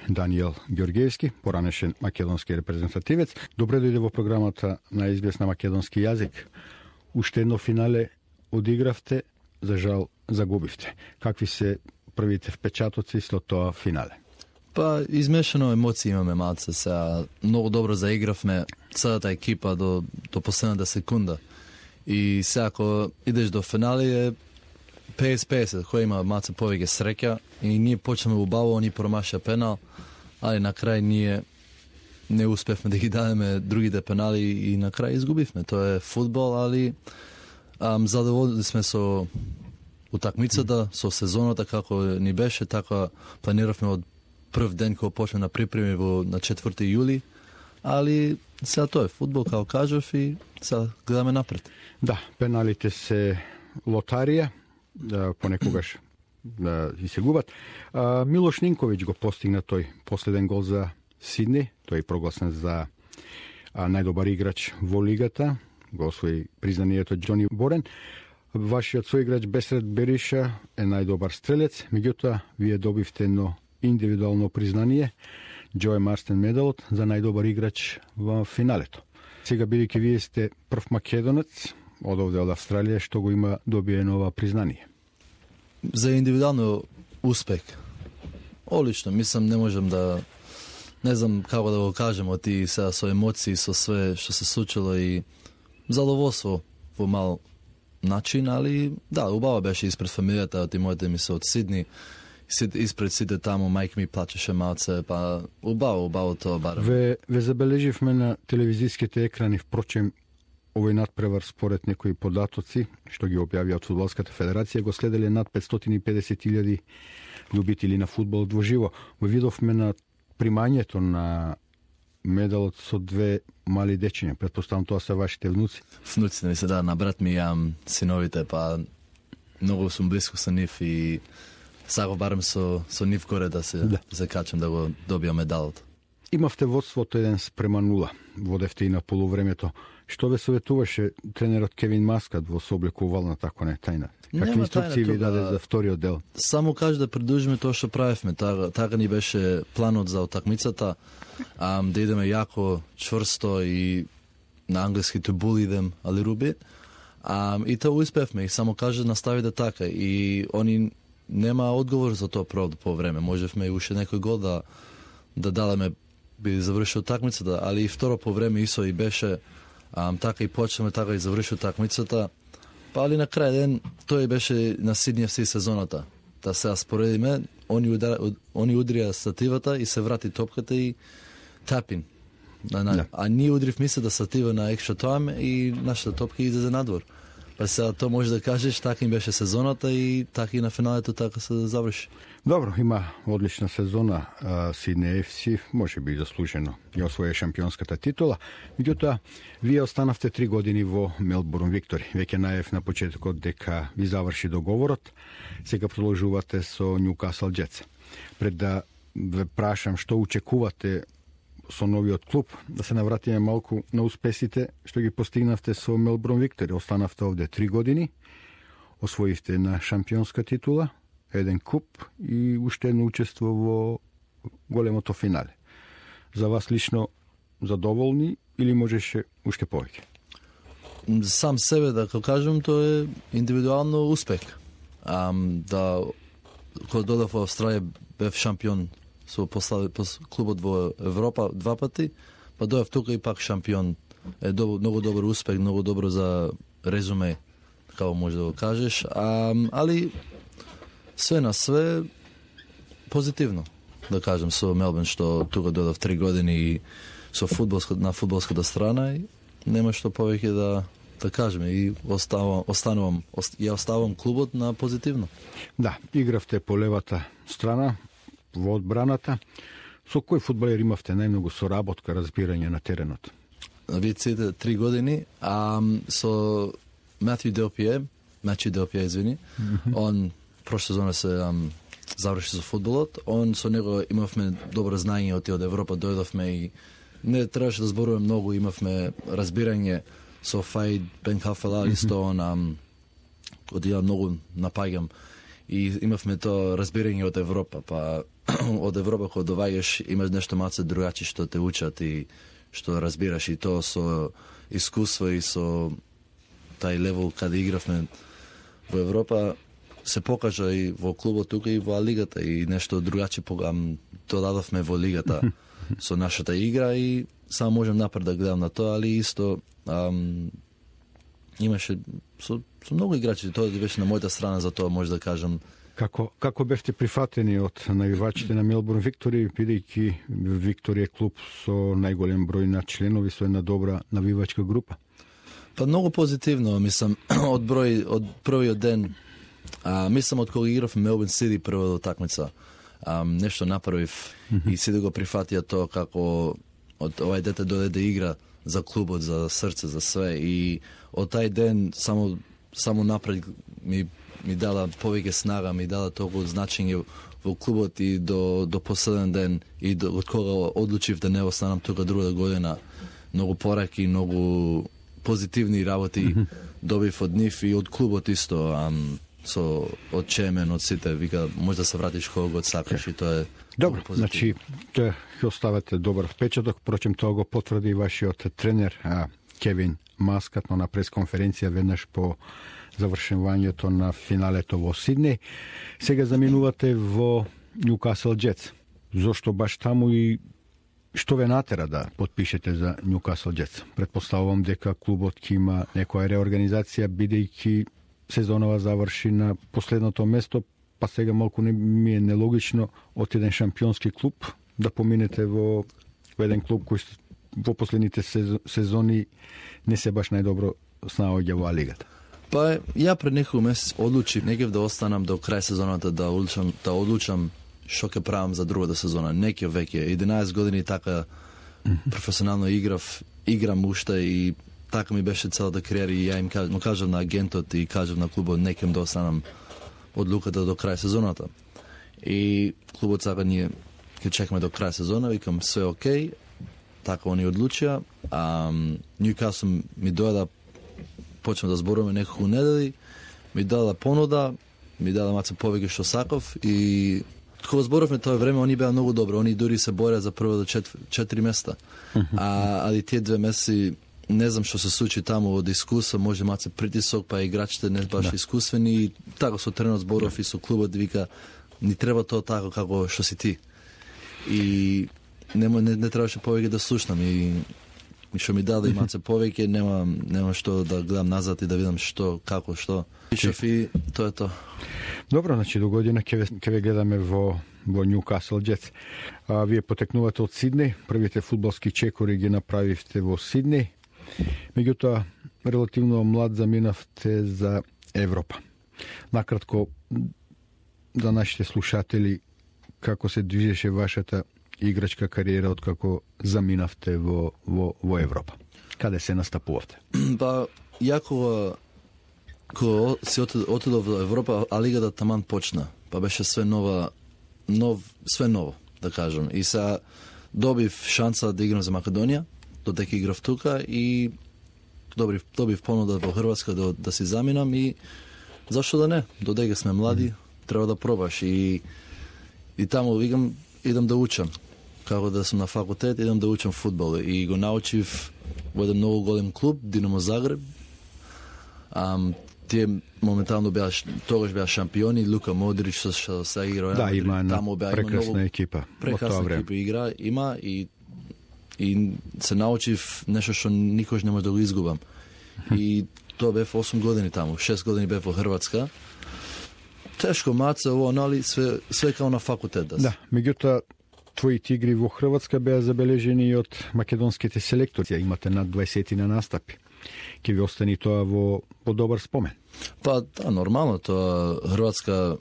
Даниел Ѓорѓевски, поранешен македонски репрезентативец. Добре дојде во програмата на СБС на македонски јазик. Уште едно финале одигравте, за жал загубивте. Какви се првите впечатоци след тоа финале? Па, измешано емоции имаме малце сега. Многу добро заигравме целата екипа до последната секунда. И сега ако идеш до финали е 50-50, кој има малце повеќе среќа и ние почнеме убаво, они промаша пенал, али на крај ние не успевме да ги дадеме другите пенали и на крај изгубивме. Тоа е фудбал, али задоволни сме со утакмицата, со сезоната како ни беше, така планиравме од прв ден кога почна на припреми на 4 јули, али сега тоа е фудбал, како кажав, и сега гледаме напред. Да, пеналите се лотарија, понекогаш и се губат. Милош Нинковиќ го постигна тој последен гол за Сидни, тој е прогласен за најдобар играч во лигата, го освои признанието Џони Борен. Вашиот соиграч Бесрет Бериша е најдобар стрелец, меѓутоа вие добивте едно индивидуално признание, Джој Марстен медалот за најдобар играч во финалето. Сега, бидејќи вие сте прв македонец од овде од Австралија што го има добие нова признание. За индивидуално успех. Олично, мислам, не можем да, не знам како да го кажем, оти сега со емоции, со све што се случило и задоволство во мал начин, али да, убаво беше испред фамилијата, оти моите ми се од Сидни, испред сите таму, мајка ми плачеше малце, па убаво тоа барам. Ве забележивме на телевизиските екрани, впрочем, овој надпревар според некои податоци, што ги објавија од Фудбалската федерација, го следеле над 550.000 љубители на фудбал во живо. Го видовме на примањето на медалот со две мали дечиња. Претпоставам тоа се вашите внуци. Внуците ми се, да, на брат ми јам синовите, па многу сум близко со нив и сакав барем со нив горе да се качам да го добиам медалот. Имавте водството 1:0, водевте и на полувремето. Што ве советуваше тренерот Кевин Маскат во сооблекувална, тако не тајна? Какви инструкции ви даде за вториот дел? Само каже да продолжиме тоа што правевме. Така ни беше планот за утакмицата, да идеме јако, чврсто и на англиски to bully them a little bit. И тоа успевме. И само каже наставите така. И они нема одговор за тоа по време. Можевме и уште некој гол да дадеме, би завршил такмицата, али и второ по време исо и беше така и почнеме, така и завршил такмицата. Па али на крај ден тој беше на Сидни FC сезоната. Да се споредиме, они удрија стативата и се врати топката и тапин. А ние удривме се да статива на екстра тајм и нашата топка излезе надвор. Па сега тоа може да кажеш, така им беше сезоната и така и на финалето така се заврши. Добро, има одлична сезона Сидни FC, може би заслужено ја освоја шампионската титула. Меѓутоа, вие останавте 3 години во Мелбурн Виктори. Веќе најав на почетокот дека ви заврши договорот. Сега продолжувате со Ньюкасл Джетс. Пред да ве прашам што очекувате со новиот клуб, да се навратиме малку на успесите што ги постигнавте со Мелбурн Виктори. Останавте овде 3 години, освоивте една шампионска титула, еден куп и уште едно учество во големото финале. За вас лично задоволни или можеше уште повеќе? Сам себе да кажам, тоа е индивидуално успех. Кога додав во Австралија бев шампион со клубот во Европа 2 пати, па дојав тука и пак шампион. Е многу добар успех, многу добро за резуме, како може да го кажеш. Али све на све позитивно, да кажем, со Мелбурн, што тука дојдов 3 години и со на фудбалската страна и нема што повеќе да кажеме и оставам клубот на позитивно. Да, игравте по левата страна, во одбраната. Со кој фудбалер имавте најмногу соработка, разбирање на теренот? Вие ците 3 години, со Матју Делпие, извини, он прошла сезона се заврши со фудбалот, со него имавме добро знаење од Европа, дојдовме и не требаше да зборуваме многу, имавме разбирање со Фаид Бен Хафела, исто он од ја многу напаѓам и имавме тоа разбирање од Европа, па од Европа кога доаѓаш имаш нешто малце другачи што те учат и што разбираш, и тоа со искуство и со тај левел каде игравме во Европа се покажа и во клубот тука и во лигата, и нешто другачи додадовме во лигата со нашата игра, и само можам напред да гледам на тоа, али исто имаше со многу играчи, тоа беше на мојата страна, за тоа може да кажам. Како бевте прифатени од навивачите на Мелбурн Виктори, бидејќи Виктори е клуб со најголем број на членови, со една добра навивачка група? Па многу позитивно, мислам, од првиот ден, мислам од кога играв Мелбурн Сити првата такмица, нешто направив и сите го прифатија тоа како од овај дете дојде да игра за клубот, за срце, за све, и од тај ден само напред ми дала повеќе снага, ми дала толку значење во клубот, и до последен ден, и од кога одлучив да не останам тука другата година, многу пораки, многу позитивни работи добив од нив и од клубот исто, од Чемен, од сите, вика, може да се вратиш кога го сакаш, и тоа е добро. Значи, ќе оставате добар впечаток, впрочем тоа го потврди вашиот тренер Кевин Маскат на пресконференција веднаш по завршувањето на финалето во Сиднеј. Сега заминувате во Ньюкасл Джетс. Зошто баш таму и што ве натера да потпишете за Ньюкасл Джетс? Претпоставувам дека клубот ќе има некоја реорганизација, бидејќи сезонова заврши на последното место, па сега малку ми е нелогично од еден шампионски клуб да поминете во еден клуб кој во последните сезони не се баш најдобро снаоѓа во лигата. Па ја пред некој месец одлучив некев да останам до крај сезоната, да одлучам што ќе правам за другата сезона. Некој веќе 11 години така професионално играм уште, и така ми беше целата кариера, и ја им кажав на агентот и кажав на клубот некем да останам одлуката до крај сезоната. И клубот сака ние ќе чекаме до крај сезона, викам све окей, така они одлучија. Ньюкасл ми дојде, почнем да зборуваме неколку недели, ми дала понуда, ми дала маце повеќе што сакав, и кога зборовме тоа време, они беа многу добро, они дури се бореа за прво до 4 места. Али тие 2 месеци не знам што се случи таму од искуство, може маце притисок, па играчите не баш искусствени, и така со тренерот зборов и со клубот, вика, ни треба тоа така како што си ти. И не требаше повеќе да слушнам, и што ми даде маце повеќе, нема што да гледам назад и да видам што, како, што. И тоа е тоа. Добро, значи до година ќе ве гледаме во Ньюкасл Джетс. Вие потекнувате од Сиднеј, првите фудбалски чекори ги направивте во Сиднеј. Меѓутоа, релативно млад заминавте за Европа. Накратко, за нашите слушатели, како се движеше вашата играчка кариера од како заминавте во Европа? Каде се настапувавте? Па, ја кога си отидов во Европа, а лигата таман почна. Па беше све ново, да кажам. И сега добив шанса да играм за Македонија, додека играв тука, и добив понуда во Хрватска да си заминам, и зашто да не? Додека сме млади, треба да пробаш. И таму викам, идам да учам. Како да сум на факултет, идам да учам фудбал. И го научив во еден многу голем клуб, Динамо Загреб. Тие моментално тогаш беа шампиони, Лука Модрич што се игра. Да, има прекрасна екипа. Прекрасна екипа игра има, и се научив нешто што никош не може да го изгубам. И тоа бев 8 години таму, 6 години бев во Хрватска. Тешко маце ово, нали, све као на факултет. Да, меѓутоа твоите игри во Хрватска беа забележени и од македонските селектори. Имате над 20 на настапи. Ке ви остани тоа во добар спомен? Па, да, нормално, тоа Хрватска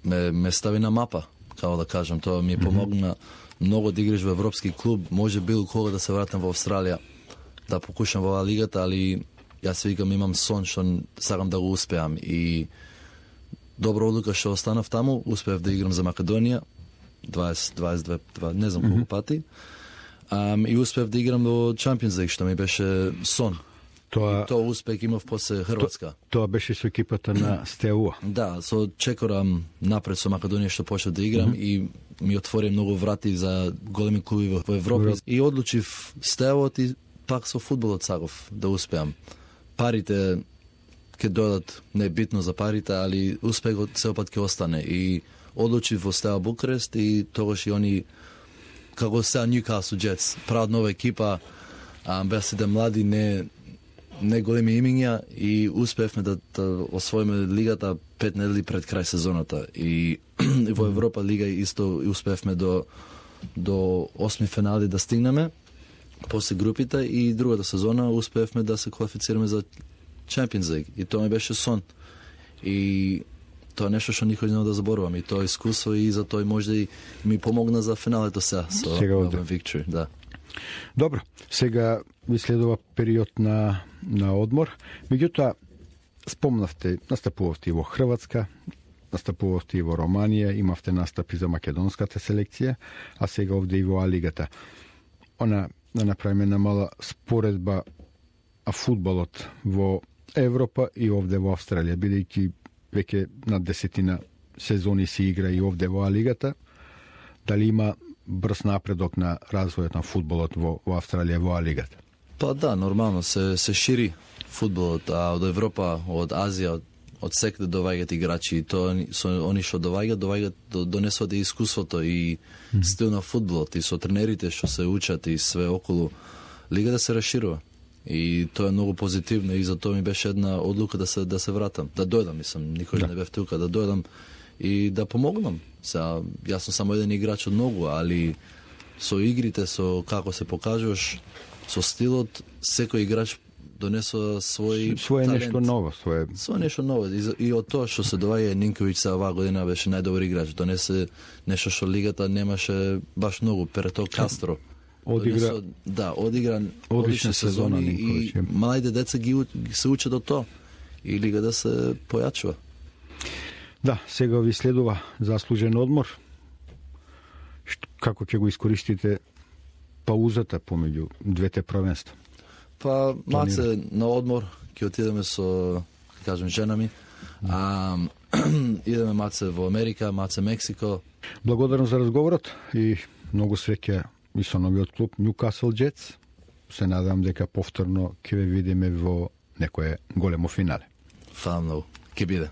ме стави на мапа, као да кажам. Тоа ми помогна многу да играш во европски клуб. Може било кога да се вратам во Австралија, да покушам во лигата, али јас викам, имам сон што сакам да го успеам. И добра одлука што останав таму, успеав да играм за Македонија, 22, не знам колку пати. И успеав да играм во Champions League, што ми беше сон. Тоа успех имав после Хрватска. Тоа беше со екипата на Стеуа. Да, со чекорам напред со Македонија што почнав да играм и ми отвори многу врати за големи клуби во Европа. И одлучив Стеуот и пак со фудбалот саков да успеам. Парите ќе дојдат, не е битно за парите, али успехот сеопат ќе остане. И одлучив во Стеа Букрест и тогаш и они, како сега Ньюкасл Джетс, прават нова екипа, беа сите млади, не големи имиња и успеевме да освоиме лигата 5 недели пред крај сезоната. И во Европа лига исто успеевме до 8 финали да стигнеме после групите и другата сезона успеевме да се квалифицираме за Champions League. И тоа ми беше сон. И тоа е нешто што никој не да заборувам. И тоа искуство и за тоа може и ми помогна за финалето сега со Melbourne Victory. Да. Добро, сега ви следува период на одмор. Меѓутоа, спомнавте, настапувавте и во Хрватска, настапувавте и во Романија, имавте настапи за македонската селекција, а сега овде и во А-лигата. Да направиме една мала споредба а фудбалот во Европа и овде во Австралија, бидејќи веќе на 10 сезони се игра и овде во А-лигата. Дали има брз напредок на развојот на фудбалот во Австралија во А-лигата? Па да, нормално се шири фудбалот, а од Европа, од Азија, од секаде доваѓаат играчи и тоа они што доваѓаат донесуваат и искуството и стил на фудбалот и со тренерите што се учат и све околу лигата се расширува. И тоа е многу позитивно и затоа ми беше една одлука да се вратам, да дојдам, никој не бев тука, да дојдам и да помогнам. Сега, јас сум само еден играч од многу, али со игрите, со како се покажуваш, со стилот, секој играч донесува свој талент. Нешто ново, свое нешто ново. И од тоа што се доваѓа Нинковиќ сега оваа година беше најдобар играч, донесе нешто што лигата немаше баш многу, Перето Кастро. Одигра одлична сезона и малите деца ги се учат од тоа и лигата се појачува. Да, сега ви следува заслужен одмор. Како ќе го искористите паузата помеѓу двете првенства? Па, маце на одмор ќе отидеме со, кажем, жена ми. Идеме маце во Америка, маце Мексико. Благодарам за разговорот и многу среќа и со новиот клуб Newcastle Jets. Се надам дека повторно ќе ве видиме во некое големо финале. Фала многу. Ќе биде.